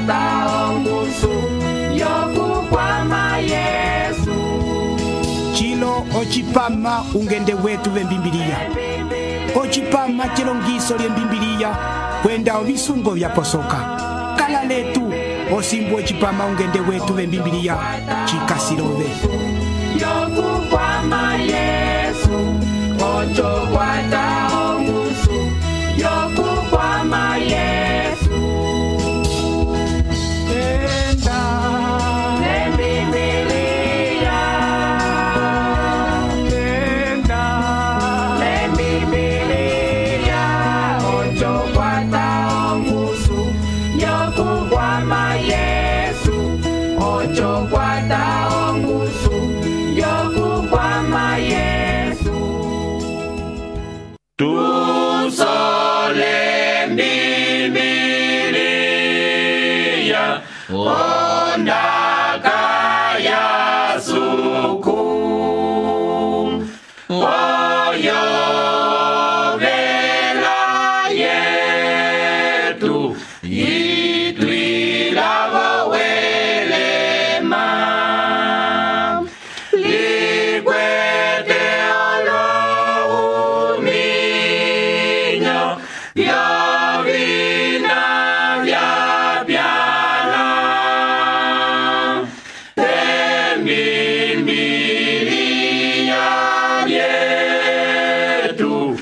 kwata ongusu yokukwama Yesu. Chilo ochipama ungende wetu vembimbiliya. Ochipama chilongiso lyembimbiliya kwenda ovisungo vyaposoka. Kala letu osimbu ochipama ungende wetu vembimbiliya chikasilove. Yokukwama Yesu, ocho kwata ongusu yokukwama Yesu. Enda lembibiliya, enda lembibiliya, ocho kwata ongusu yokukwama Yesu, ocho kwata ongusu yokukwama Yesu. Tu sole mbibiliya ondaka ya suku oyo vela yetu itwilavo welema likwete olohuminyo vyovina vyapyala embimbiliya vyetu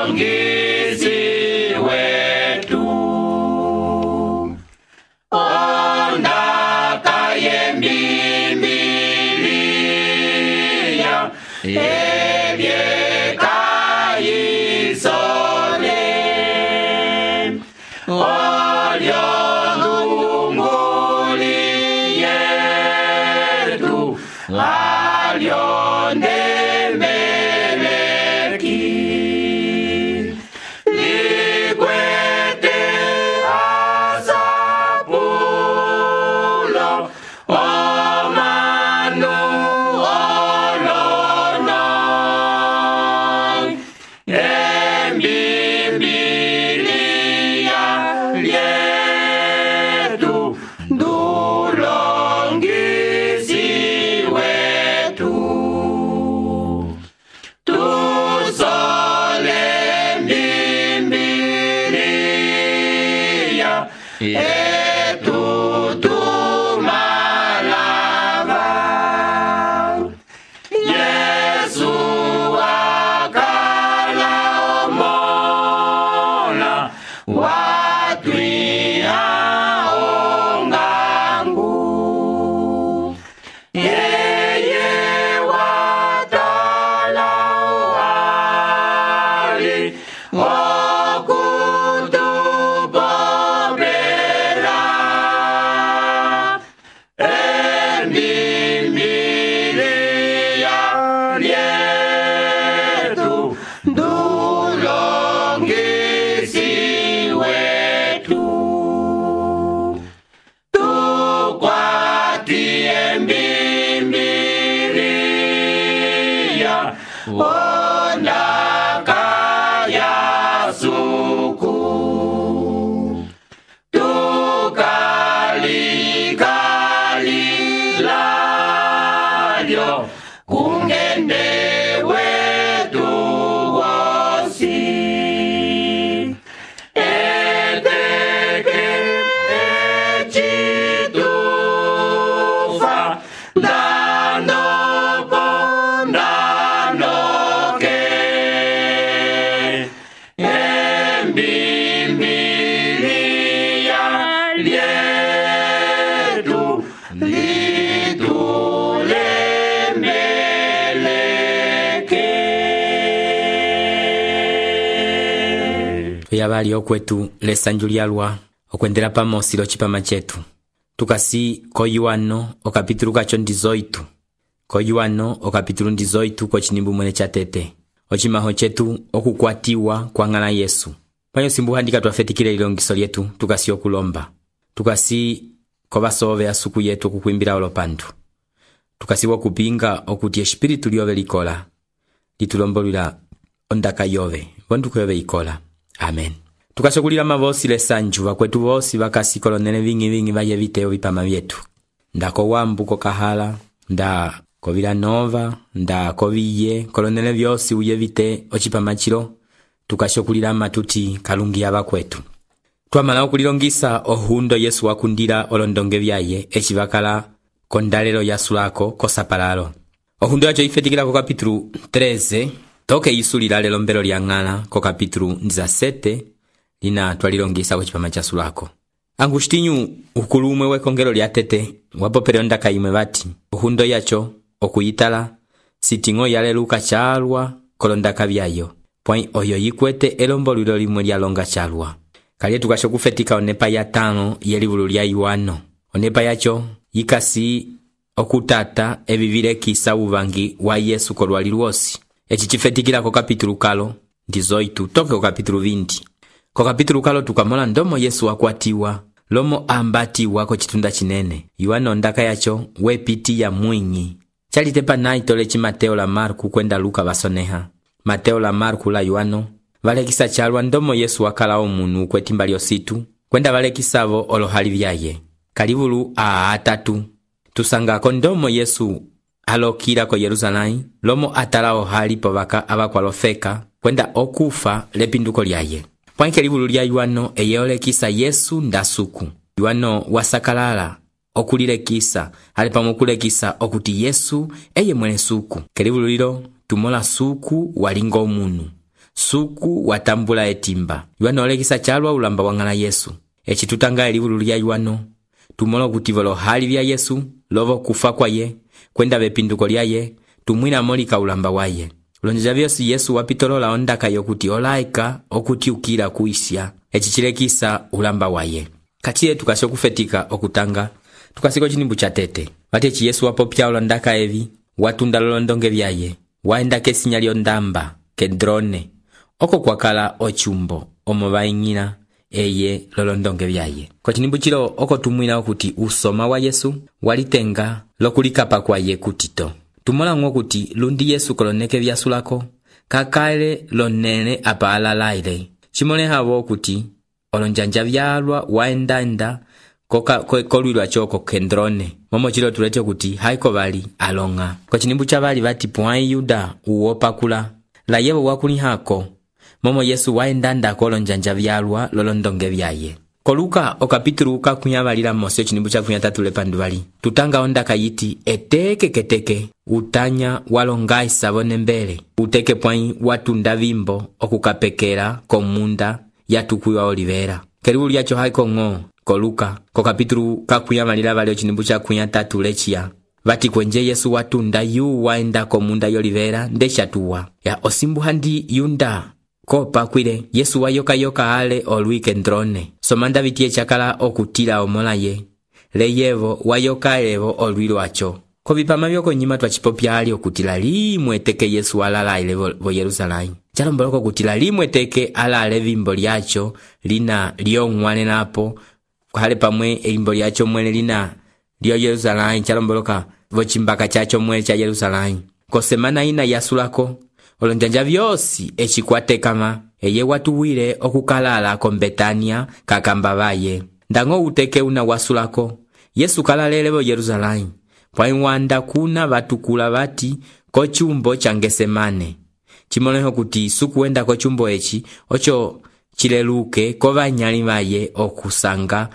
ndulongisi wetu ondaka yembimbiliya evyekayisole olyondunguli yetu alyondemeleki likwete asapulo omanu olono embimbiliya lyetu ndulongisi wetu. Tusole mbimbiliya etutumalava Yesu akala omola watwiha ongangu yeye watala wali okutupopela embimbiliya lyetu ndulongisi wetu. Tukwati embimbiliya ondaka ya suku tukalikalilyo kungende wetu wosi eteke echitufa ndanopo ndanoke embimbiliya lyetu litulemeleke. yabali okwetu lesanju lyalwa okwendela pamosi l'ocipama cetu tukasi ko Yohano okapitulu kaco 18 ko Yohano okapitulu 18 kocinimbu mwene ca tete ocimaho cetu okukwatiwa kwa ng'ala Yesu panyo simbu handika twafetikile ilongiso lyetu tukasi okulomba tukasi ko basove asuku yetu okukwimbila olopandu tukasi okupinga okuti espiritu lyove likola litulombolwila ondaka yove vonduko yove ikola. Amen. Tukashokulila mavosi lesanju vakwetu vosi vakasi kolonele vingi vaye viteo vipama vyetu. Nda ko Wambu ko Kahala, nda ko Vila Nova, nda ko Viye, kolonele vyosi uye vite ochipama chilo. Tukashokulila matuti kalungia vakwetu. Twamala okulilongisa ohundo Yesu wakundila olondonge vyaye echivakala kondalelo yasulako kosapalalo. Ohundo yacho ifetikila ko kapitulu 13, toke isulila lelo mbelo lyang'ala ko kapitulu 17, lina twalilongisa kuchipama chasulako. Angustinyu ukulumwe wekongelo lya tete wapopele ondaka imwe bati ohundo yacho okuyitala sitingo yaleluka chalwa kolondaka byayo point oyo yikwete elombolilo limwe lyalonga chalwa. Kali tukasho kufetika onepa ya 5 yelibulu lya Yohano. Onepa yacho yikasi okutata ebivile kisa uvangi wa Yesu kolwali lwosi. Echi chifetikila ko kapitulu kalo ndizoitu toke ko kapitulu 20. Ko kapitulu kalo tukamola ndomo Yesu wakwatiwa lomo ambatiwa ko chitunda chinene. Yohano ndaka yacho wepiti ya mwinyi. Chalitepa naitole chi Mateo la Marku kwenda Luka basoneha. Mateo la Marku la Yohano valekisa chalwa ndomo Yesu wakala omunu kwetimba lyositu kwenda valekisavo olohali vyaye. Kalibulu atatu tusangako ndomo Yesu alokila ko Yerusalemu lomo atala ohali povaka abakwalofeka kwenda okufa lepinduko lyaye. Pwanke libulu lya Yohano eyeolekisa Yesu ndasuku. Yohano wasakalala okulilekisa alipamokulekisa okuti Yesu eye mwene suku. Kelibulu lilo tumola suku walinga omunu. Suku watambula etimba. Yohano olekisa chalwa ulamba wangala Yesu. Echi tutanga libulu lya Yohano tumola kutivolo hali vya Yesu lovo kufa kwaye kwenda bepinduko lyaye tumwina molika ulamba waye. Lonja vyosi Yesu wapitolola ondaka yokuti olaika okuti ukila kuisya echichilekisa ulamba waye. Katiye tukasho kufetika okutanga tukasiko chinimbu cha tete vatechi Yesu wapopya olondaka evi watunda lolondonge vyaye waenda kesinya lyondamba Kedrone oko kwakala ochumbo omovaingina eye lolondonge vyaye. Kwa chinimbu chilo oko tumwina okuti usoma wa Yesu walitenga lokulikapa kwaye kutito. Tumola kuti lundi Yesu koloneke vyasulako kakale lonene apa alalaile. Chimone havo kuti olonjanja vyalwa waenda kolwilwa choko Kedrone. Momo chilo tulete kuti haiko vali alonga. Kwa chinimbu cha vali vati puai Yuda uopakula la yevo wakuni hako. Momo Yesu waenda kolonjanja vyalwa lolondonge vyaye. Koluka okapitulu kakunyabalila mose chinimbu cha kunyatatu lepanduvali. Tutanga ondaka yiti eteke keteke utanya walonga isabone mbele. Uteke pwai watunda vimbo okukapekera komunda yatukuwa olivera. Keribu lyacho haiko ngo koluka kokapitulu kakunyabalila vali chinimbu cha kunyatatu lechia. Vati kwenje Yesu watunda yu waenda komunda yolivera ndeshatuwa. Ya osimbu handi yunda kopa kwile Yesu wayoka ale olwi Kedrone. Somanda vitie chakala okutila omola ye. Leyevo wayoka evo olwi lwacho. Kovipama vyoko nyima twachipopya ali okutila limwe teke Yesu walala ile vo Yerusalemu. Chalomboloko kutila limwe teke alale vimbo lyacho lina lyongwane napo. Hale pamwe elimbo lyacho mwene lina lyo Yerusalemu. Chalomboloka vochimbaka chacho mwene cha Yerusalemu. Ko semana ina yasulako olonjanja vyosi echikwate kama eye watuwile okukalala ko Betania kakamba vaye. Ndango uteke una wasulako Yesu kalalelevo Yerusalemu. Pwaiwanda kuna vatukula vati ko chumbo cha Getsemane. Chimoneho kuti sukuenda ko chumbo echi ocho chileluke ko vanyali vaye okusanga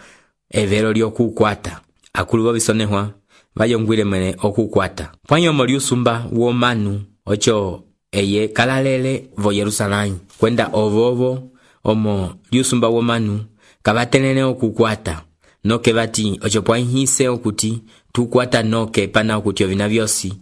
evero lyokukwata. Akuluvo bisonehwa vayongwile mwene okukwata. Pwanyomo lyusumba womanu ocho eye kalalele vo Yerusalemu kwenda ovovo omo lyusumba womanu kabatelene okukwata noke vati ocho pwahise okuti tukwata noke pana okuti ovina vyosi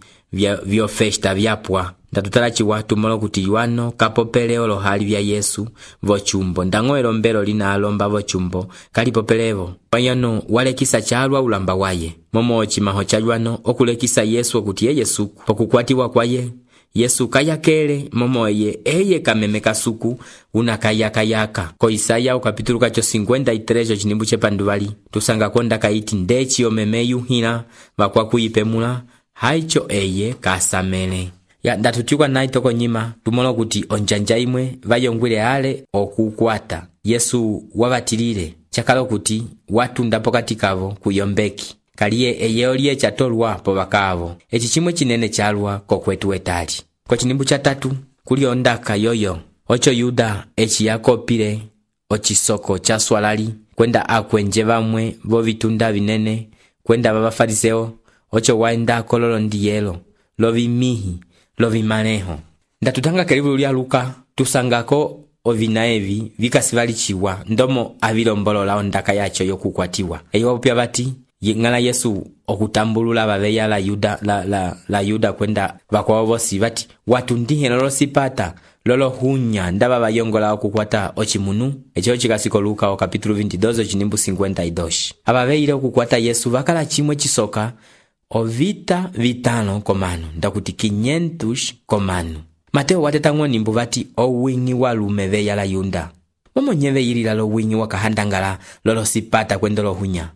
vyo festa vyapwa. Ndatutala watu molo kuti Yohano kapopele olohali vya Yesu vo chumbo ndango elombelo lina alomba vo chumbo kalipopelevo. Panyano walekisa chalwa ulamba waye. Momo chimaho cha Yohano okulekisa Yesu okuti ye Yesu pokukwatiwa kwaye Yesu kayakele momo eye kameme kasuku unakayaka. Ko Isaya ukapitulu kacho 53 chinimbu chepanduvali tusanga konda kaiti ndechi omeme yuhina vakwa kuipemula haicho eye kasamele. ndatutiwa nayi toko nyima tumola kuti onjanja imwe vayongwile ale okukwata Yesu wabatilile chakala kuti watunda pokati kavo kuyombeki kaliye eyeyo liye chatolwa po bakavo eci chimwe chinene chalwa kokwetu wetali. Ko chinimbu cha 3 kuli ondaka yoyo ocho Yuda eci yakopile ochisoko cha swalali kwenda akwenje bamwe bo bitunda binene kwenda babafariseo ocho waenda kololo ndiyelo lovimihi lovimaneho. Ndatutanga kelivulu lya Luka tusangako ovina evi vikasivalichiwa ndomo avilombolola ondaka yacho yokukwatiwa eyo wapya bati ngala Yesu okutambulula babeya la Yuda kwenda bakwawo bosi bati watundihe lolo sipata lolo hunya ndaba bayongola okukwata ochimunu echo chikasiko Luka kapitulo 22 chinimbu 52. Ababeile okukwata Yesu bakala chimwe chisoka ovita vitano komano ndakuti 500 komano. Mateo watetango nimbu bati owingi walume beya la Yuda momo nyeve yilila lo wingi wakahandangala lolo sipata kwendolo hunya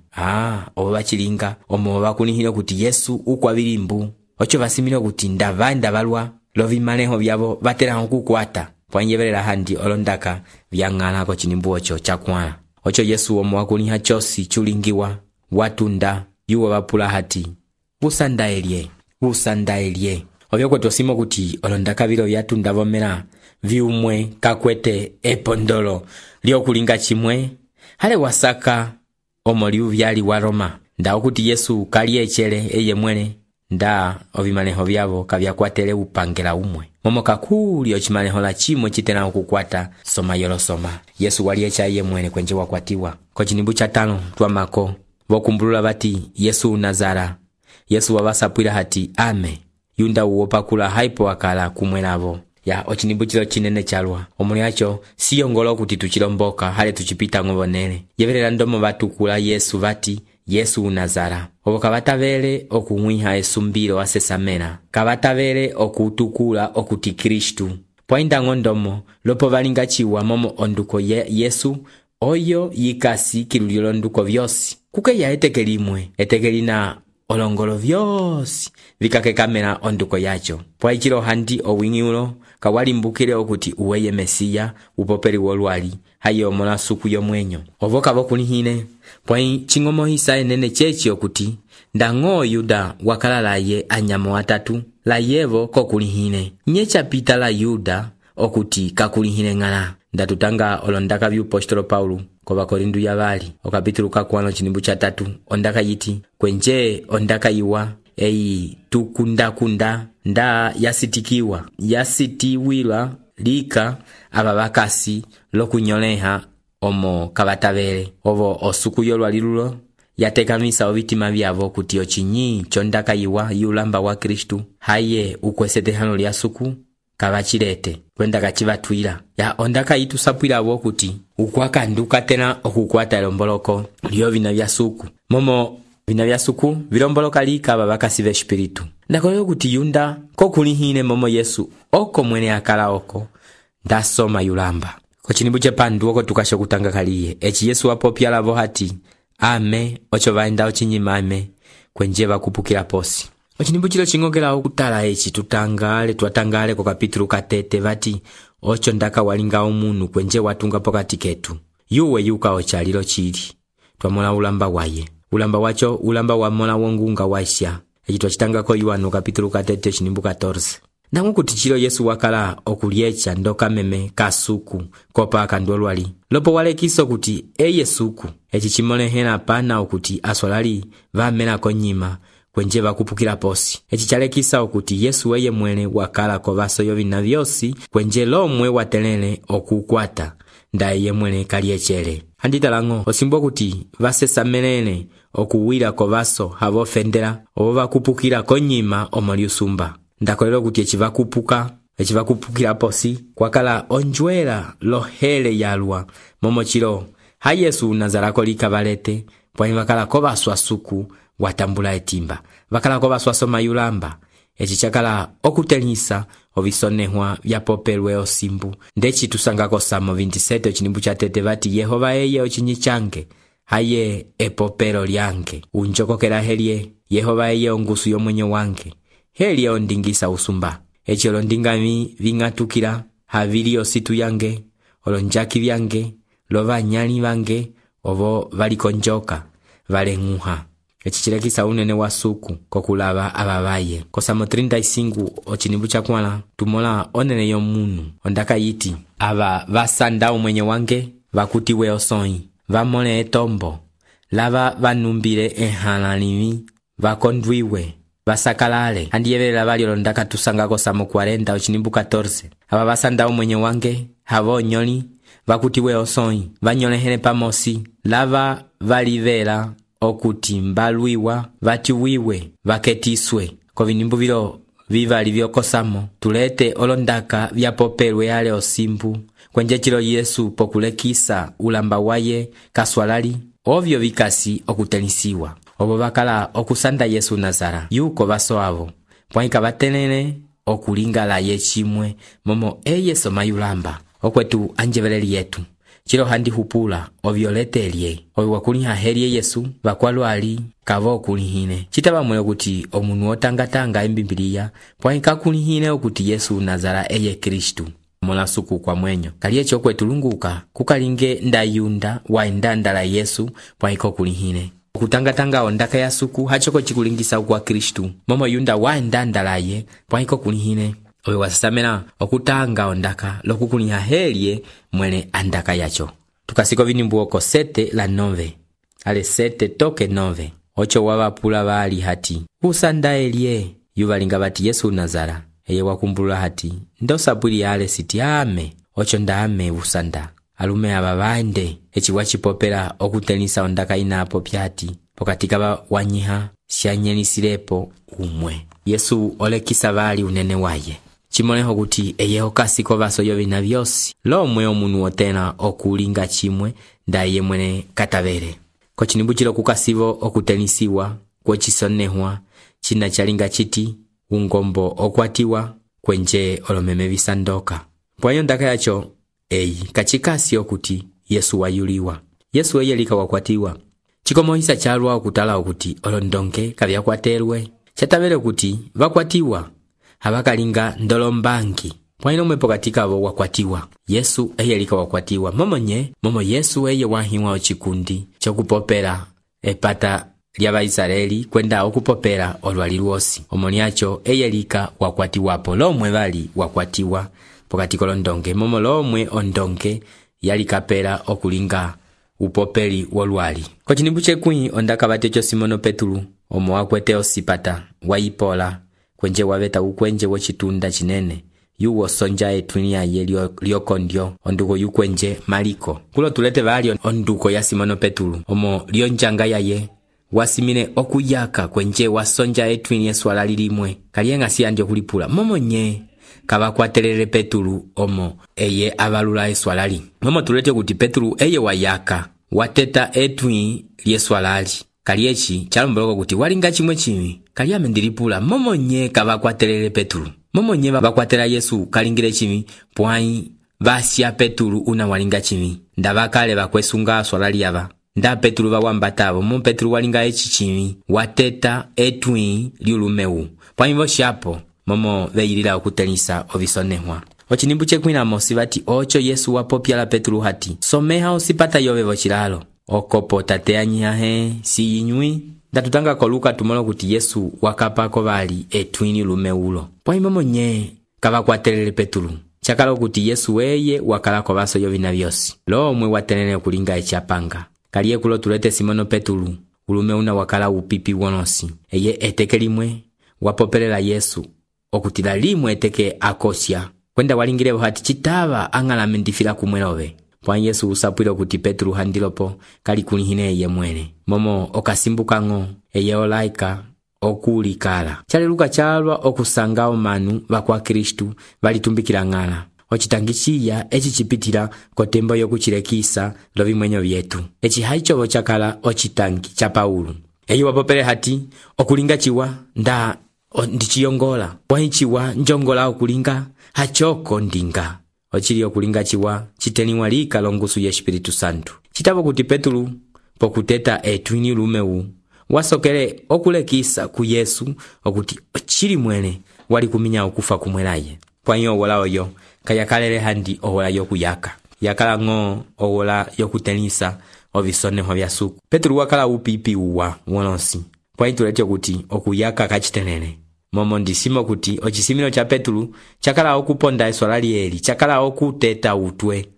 obo bachilinga omo bakunihile kuti Yesu ukwabilimbu ocho basimile kuti ndavanda balwa lovimaneho byabo batera okukwata pwanyebelela handi olondaka byangala ko chinimbu ocho chakwala ocho Yesu omo wakuniha chosi chulingiwa watunda yuwa bapula hati busandaelie obyo kwetosimo kuti olondaka biro byatunda bomera viumwe kakwete epondolo lyokulinga chimwe hale wasaka omoliu byali wa Roma nda okuti Yesu kali echele eye mwene nda ovimaneho byabo kabyakwatele upangela umwe momo kakuli ochimaneho la chimwe chitena okukwata soma yolo soma Yesu wali echa eye mwene kwenje wakwatiwa. Ko chinimbu cha 5 twamako bokumbulula bati Yesu Nazara Yesu wabasapwila hati ame Yunda uopa kula haipo wakala kumwenavo ya ochinimbu chilo chinene chalwa omuli acho siyongolo kuti tuchilomboka hale tuchipita ngobonele yevelela ndomo batukula Yesu bati Yesu Nazara obo kabatavele okumwiha esumbiro asesamena kabatavele okutukula okuti Kristu poinda ngondomo lopo balinga chiwa momo onduko Yesu oyo yikasi kilulilo nduko vyosi kuke ya etekelina olongolo vyosi vikake kamera onduko yacho pwaichilo handi owingi ulo kawalimbukile okuti uweye Mesiya upopeli wolwali hayo mola suku yomwenyo ovoka bokunihine pwai chingomo hisa enene chechi okuti ndango Yuda wakalala ye anyamo atatu la yevo kokulihine nyecha pita la Yuda okuti kakulihine ngala ndatutanga olondaka byupostolo Paulo ko Bakorindu yabali okapitulu kakwano chinimbu cha 3 ondaka yiti kwenje ondaka iwa eyi tukunda nda yasitiwila lika ababakasi lokunyoleha omo kabatavele ovo osuku yolwalilulo yatekamisa obitima byabo kuti ochinyi chondaka iwa yulamba wa Kristu haye ukwesetehano lya suku kabachilete kwenda kachibatwila ya ondaka yitu sapwilabo kuti ukwakanduka tena okukwata lomboloko lyo vina bya suku momo vina bya suku vilomboloka lika babakasi b'espiritu ndakolero kuti Yunda kokulihine momo Yesu oko mwene akala oko ndasoma yulamba ko chinimbu chepandu oko tukasho kutanga kaliye echi Yesu wapopyalabo hati ame ocho vaenda ochinyimame kwenje bakupukira posi. Ochinimbu chilo chingogela okutala echi twatangale ko kapitulu katete bati ocho ndaka walinga omunu kwenje watunga pokati ketu yuwe yuka ochalilo chili twamola ulamba waye ulamba wacho ulamba wa mola wongunga waisha echi twachitanga ko Yohana kapitulu katete chinimbu 14 nangu kuti chilo Yesu wakala okuliecha ndoka meme kasuku kopa akandolwali lopo walekiso kuti Yesuku echi chimolehena pana okuti aswalali vamena konyima kwenje bakupukira posi echi chalekisa okuti Yesu weye mwene wakala ko baso yovina vyosi kwenje lomwe watelele okukwata ndaye mwene kaliechele handitalango osimbo kuti vasesamenene okuwira ko baso habofendera obo bakupukira konyima omoliusumba ndakolero kuti echivakupukira posi kwakala onjwela lohele yalwa momochilo ha Yesu Nazarako likabalete pwani wakala ko baswa suku watambula etimba wakala ko baswa soma yulamba echi chakala okutelisa obisonehwa byapopelwe osimbu ndechi tusangako Samo 27 chinimbu cha tete bati Yehova eye ochinyi change haye epopelo lyange unjokokera helie Yehova eye ongusu yomwenye wange helie ondingisa usumba eci olondingami ving'atukila havili ositu yange, olonjaki vyange, lo vanyali vange, ovo valikonjoka, valeng'uha. Eci cilekisa unene wa suku kokulava avavaye. Kosamo 35 ochinimbu chakwala tumola onene yomunu ondaka yiti, ava vasanda umwenye wange vakutiwe osoi, vamole etombo, lava vanumbile ehalalimi, vakondwiwe, vasakalale. Handiyevelela vali olondaka tusanga kosamo 40 ochinimbu 14. Ava vasanda umwenye wange havonyoli, vakutiwe osoi, vanyolehele pamosi, lava valivela okuti mbalwiwa, vatiwiwe, vaketiswe. Kovinimbu vilo vivali vyokosamo tulete olondaka vyapopelwe ale osimbu kwenje chilo Yesu pokulekisa ulamba waye kaswalali, ovyo vikasi okutenisiwa. Ovo vakala okusanda Yesu Nazara yuko vaso avo, pwaika vatelele okulingala ye chimwe momo Yesu mayulamba. Okwetu anjeveleli yetu chilo handi hupula ovyoletelye ovi wakuliha heli Yesu vakwalwali kavo okulihine. Chitava mwele kuti omunu otangatanga embimbiliya pwaika kulihine okuti Yesu Nazara eye Kristu mola suku kwa mwenyo. Kaliecho okwetu lunguka kukalinge ndayunda waenda ndala Yesu pwaika okulihine. Kutangatanga ondaka ya suku hachoko chikulingisa kwa Kristu momo yunda waenda ndalaye pwaika okulihine. Owe wasasamela okutanga ondaka lokukuliha helye mwele andaka yacho. Tukasiko vinimbu oko 7 la 9. Ale 7 toke 9. Ocho wavapula vali hati, usanda elye. Yuvalinga vati Yesu Nazara. Eye wakumbula hati, ndo sabuli ale siti ame. Ocho ndame usanda. Alume aba vaende. Echi wachipopela okutenisa ondaka inapo pyati. Pokatika wanyiha sianyelisilepo umwe. Yesu olekisa vali unene waye. Chimoleho kuti eye okasiko vaso yovina vyosi. Lomwe omunu otena okulinga chimwe ndaye mwene katavere. Kochinimbu chilo kukasivo okutenisiwa, kwechisonehwa, china chalinga chiti, ungombo okwatiwa, kwenje olomeme visandoka. Pwayo ndaka yacho, kachikasi okuti Yesu wayuliwa. Yesu eyelika wakwatiwa. Chikomohisa chalwa okutala okuti olondonke kavyakwaterwe. Chatavere okuti vakwatiwa. Habakalinga ndolombangi. Pwaino mwepo katika avo wakwatiwa. Yesu eyelika wakwatiwa. Momo Yesu eye wahiwa ochikundi chokupopela epata lya Israeli kwenda okupopela olwali lwosi. Omoniacho eyelika wakwatiwapo. Lomwe vali wakwatiwa pokatiko londonge. Momo lomwe ondonge yalikapela okulinga upopeli wolwali. Kochinimbu chekwi ondaka vatecho Simono Petulu omo wakwete osipata waipola kwenje waveta ukwenje wochitunda chinene yuwo sonja etwini yaye lyokondyo onduko yukwenje Maliko. Kulo tulete vali onduko ya Simono Petulu omo lyonjanga yaye wasimine okuyaka kwenje wasonja etwini eswala lilimwe kalienga siyandio kulipula momonye kavakwatelele Petulu omo eye avalula eswalali. Momo tulete kuti Petulu eye wayaka wateta etwini lyeswalali kaliechi chalomboloko kuti walinga chimwe chimi kaliame ndilipula momonye kavakwatelele Petulu. Momonye vakwatela Yesu kalingile chimi pwai vasya Petulu una walinga chimi ndavakale vakwesunga swalali yava nda Petulu vawambatavo mo Petulu walinga echi chimi wateta etwi liulumeu pwai voshapo momo veyilila okutenisa ovisonehwa. Ochinimbu chekwina mosi vati ocho Yesu wapopyala Petulu hati someha osipata yove vochilalo okopo tateanyihahe siyinywi. Ndatutanga koluka tumolo kuti Yesu wakapako vali etwini lumeulo. Pwai momonye kavakwatelele Petulu. Chakalo kuti Yesu eye wakalako vaso yovina vyosi. Lomwe watelele kulinga echapanga. Kalie kulo tulete Simono Petulu. Ulumeuna wakala upipi wonosi. Eye eteke limwe wapopelela Yesu. Okutila limwe eteke akosya. Kwenda walingilevo hati chitava angalame ndifila kumwelove. Pwai Yesu usapwilo kuti Petulu handilopo kali kulihine eye mwene. Momo okasimbukango eye olaika okulikala. Chaleluka chalwa okusanga omanu vakwa Kristu valitumbikila ngala. Ochitangichiya echi chipitila kotembo yokuchilekisa lovimwenyo vyetu. Echi haichovo chakala ochitangi cha Paulu. Eye wapopele hati okulinga chiwa nda ndichiyongola. Pwai chiwa njongola okulinga hachoko ndinga. Ochili okulinga chiwa chiteniwa lika longusu ya Espiritu Santu. Chitavo kuti Petulu pokuteta etwini lumeu wasokele okulekisa ku Yesu okuti ochili mwene wali kuminya okufa kumwelaye. Pwanyi owola oyo kayakalele handi owola yokuyaka, yakala ng'o owola yokutelisa ovisoneho vya suku. Petulu wakala upipi uwa wolonsi, pwanyi tulete kuti okuyaka kachitelele. Momo ndisimo kuti ochisimilo cha Petulu chakala okuponda eswala lieli, chakala okuteta utwe,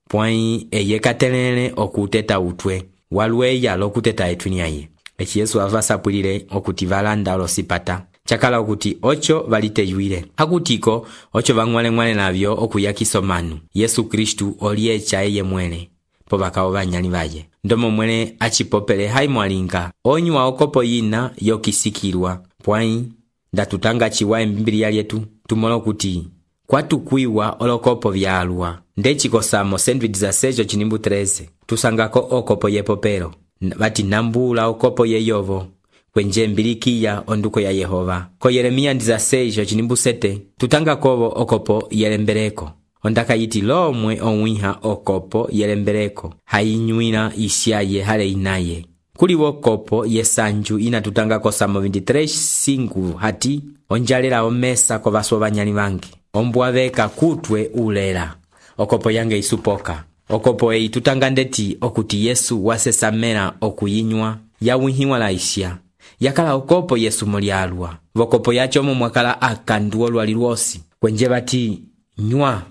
pwanyi eye katelele okuteta utwe walweya lokuteta etwinyaye. Echi Yesu avasapulile okuti valanda olosipata, chakala okuti ocho valiteyuile hakutiko ocho vang'wale navyo okuyakisa omanu. Yesu Kristu oliecha eye mwele po bakao banyali baye, ndomo mwele achipopele haimwalinga onywa okopo yina yokisikilwa. Pwanyi ndatutanga chiwa Biblia lyetu tumolo kuti kwatukwiwa olokopo vyalwa. Ndechikosamo sendwich za sejo chinimbu 13 tusangako okopo yepopelo bati nambula okopo yeyovo kwenje mbilikiya onduko ya Yehova. Ko Yeremia 16 chinimbu 7 tutanga kovo okopo yelembereko, ondaka yiti lomwe onwiha okopo yelembereko hainywina isyaye hale inaye. Kuliwo kopo yesanju ina tutanga kosamo 23:5 hati onjalela omesa ko baso banyali bange ombwaveka kutwe ulela okopo yange isupoka. Okopo eyi tutanga ndeti okuti Yesu wasesamela okuyinywa yawihiwa laisya, yakala okopo Yesu mulyalwa vokopo yacho mwakala akandu olwali lwosi kwenje bati nywa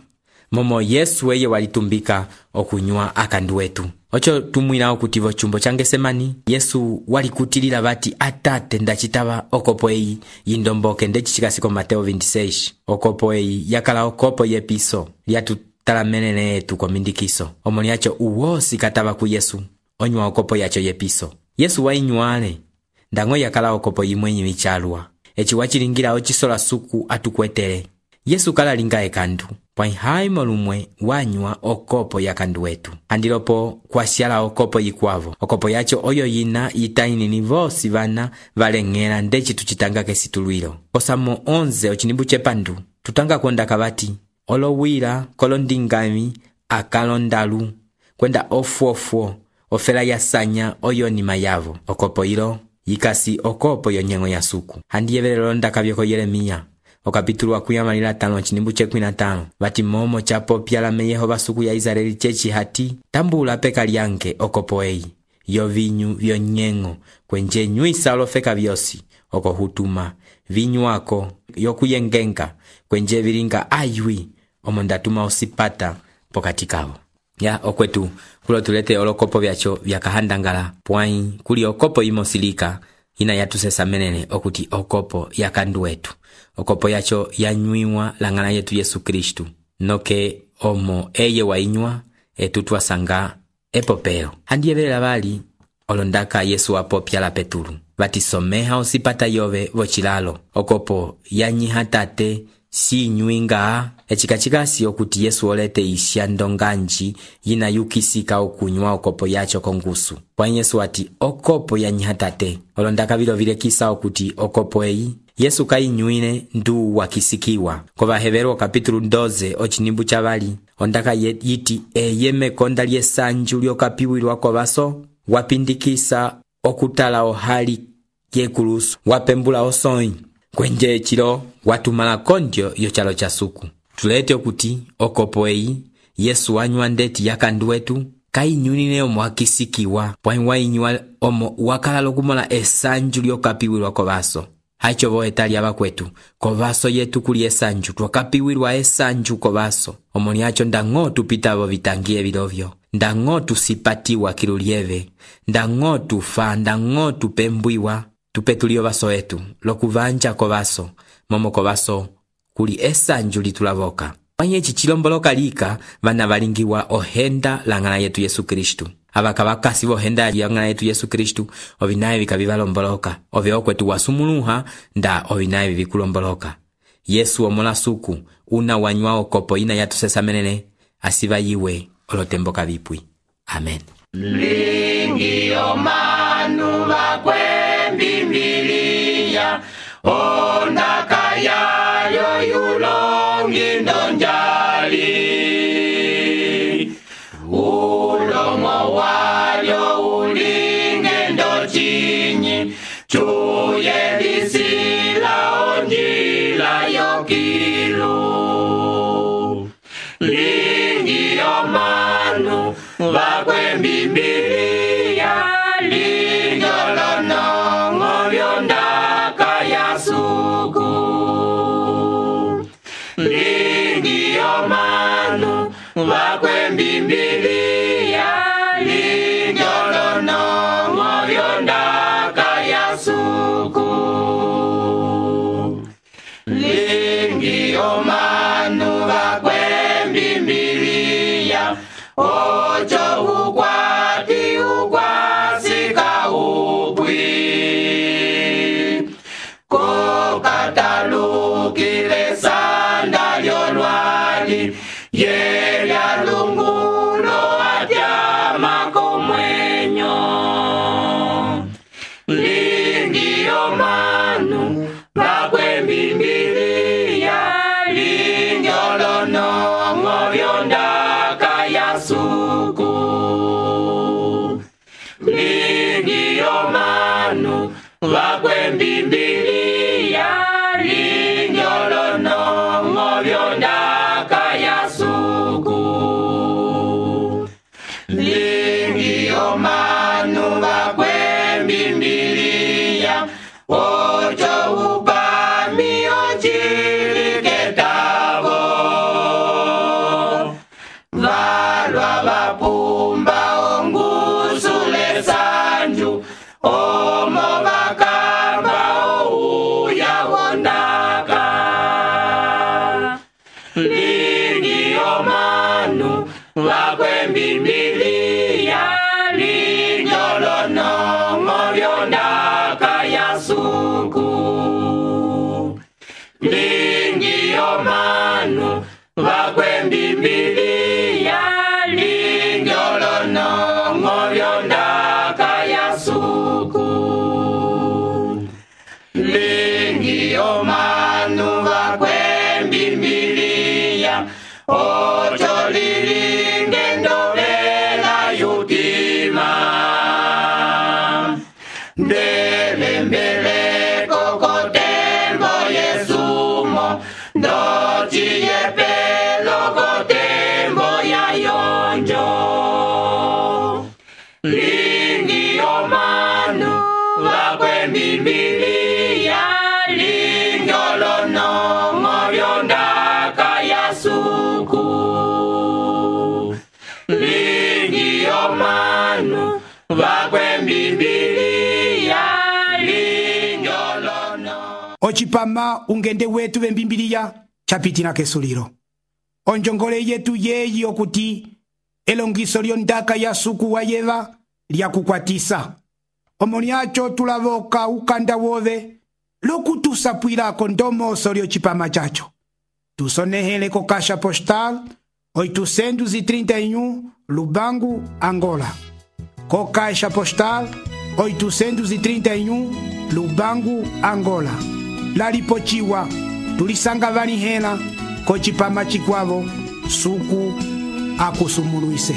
momo Yesu eye walitumbika okunywa akandu wetu. Ocho tumwila okuti vo chumbo change semani Yesu walikutilila bati atate ndachitaba okopo eyi yindomboke ndechichikasiko Mateo 26. Okopo eyi yakala okopo yepiso lyatutalamelele etu komindikiso omoni yacho uwosi kataba ku Yesu onywa okopo yacho yepiso. Yesu wainywale ndango yakala okopo yimwenyi michalwa echi wachilingira ochisola suku atukwetele. Yesu kala linga ekandu pwanyi haimo lumwe wanywa okopo yakandu wetu handilopo kwasyala okopo yikwavo. Okopo yacho oyo yina yitainini vosi vana valeng'ela ndechi tuchitanga kesitulwilo. Kosamo 11 ochinimbu chepandu tutanga konda kabati olowila kolondingami akalondalu kwenda ofuofuo ofela yasanya oyo nima yavo. Okopo ilo yikasi okopo yonyengo ya suku handiyevelelo ndakavyoko Yeremia okapitulu wa 15 chinimbu che 15 bati momo chapo pyalame Yehova suku ya Israeli chechi hati tambula peka lyange okopo eyi yovinyu vyonyengo kwenje nywisa olofeka vyosi oko hutuma vinywako yokuyengenga kwenje vilinga aywi omondatuma osipata pokati kavo. Ya okwetu kulo tulete olokopo vyacho vyakahandangala pwanyi kuli okopo imosilika ina yatusesamelele okuti okopo yakandu wetu. Okopo yacho yanywiwa langana yetu Yesu Kristu noke omo eye wainywa etutwasanga epopelo. Handiyevelela bali olondaka Yesu wapopya la Petulu batisomeha osipata yove vochilalo okopo yanyiha tate si nyuinga echikachikasi okuti Yesu olete isya ndonganji yina yukisika okunywa okopo yacho kongusu. Pwanyi Yesu ati okopo yanyiha tate olondaka bilo vilekisa okuti okopo eyi Yesu kainyuine ndu wakisikiwa. Kova Hebero kapitulu 12 ochinimbu chavali ondaka yiti eye mekonda lyesanju lyokapiwilwa kovaso wapindikisa okutala ohali yekulusu wapembula osonyi kwenje echilo watumala kondyo yochalo cha suku. Tulete okuti okopo eyi Yesu wanywa ndeti yakandu wetu kainyunine omo wakisikiwa pwanyi wainywa omo wakala lokumola esanju lyokapiwilwa kovaso. Haicho voetali abakwetu kovaso yetu kuli esanju twakapiwilwa esanju kovaso omoni yacho ndango tupitavo vitangie vilovyo ndango tusipatiwa kilulieve ndango tufa ndango tupembwiwa tupetulio vaso etu lokuvanja kovaso momo kovaso kuli esanju litulavoka. Pwanyi echi chilomboloka lika vana valingiwa ohenda langana yetu Yesu Kristu. Abakabakasi bohenda langana yetu Yesu Kristu ovinaye vikabivalomboloka ove okwetu wasumuluha nda ovinaye vikulomboloka. Yesu omola suku una wanywa okopo ina yatusesamelele asiva yiwe olotemboka vipwi. Amen. Lingi omanu bakwe Biblia ondaka yayo yulongi ndonjali ulomo walyo ulinge ndochinyi chuye bisila onjila yo omanu vakwembimbiriya linjolonongo vyondaka ya suku. Lingi omanu vakwembimbiriya linjolonongo vyondaka ya suku. Lingi omanu vakwembimbiriya ocho ukwati ukwasika upwi kokatalukile sanda lyolwali yelya lungulo atyama komwenyo. Lingi omanu vakwembimbiriya linjolonongo vyondaka ya suku. Lingi omanu vakwembimbiriya linjolonongo vyondaka ya suku. Lingi omanu vakwembimbiriya ocho upami ochiliketavo valwa vapumba ongusule sanju omo vakamba ouya wondaka. Lingi omanu vakwembimbiriya linjolonongo vyondaka ya suku. Lingi omanu vakwembimbiriya linjolonongo vyondaka ya suku. Lingi omanu vakwembimbiriya ocho lilinge ndolela yutima ndelembeleko kotembo yesumo ndociyepelo kotembo ya yonjo. Lingi omanu vakwembimbiriya linjolonongo vyondaka ya suku. Lingi omanu vakwembimbiriya linjolonongo. ocipama ungende wetu vembimbiriya chapitina kesulilo. Onjongole yetu yeyi okuti elongiso lyondaka ya suku wa yeva lyakukwatisa. Omoni acho tulavoka ukanda wove lokutusapwilako ndomoso lyocipama chacho. Tusonehele ko Caixa Postal 831 Lubangu, Angola. Ko Caixa Postal 831 Lubangu, Angola. Lalipochiwa tulisanga vanihela ko cipama chikwavo suku akusumuluise.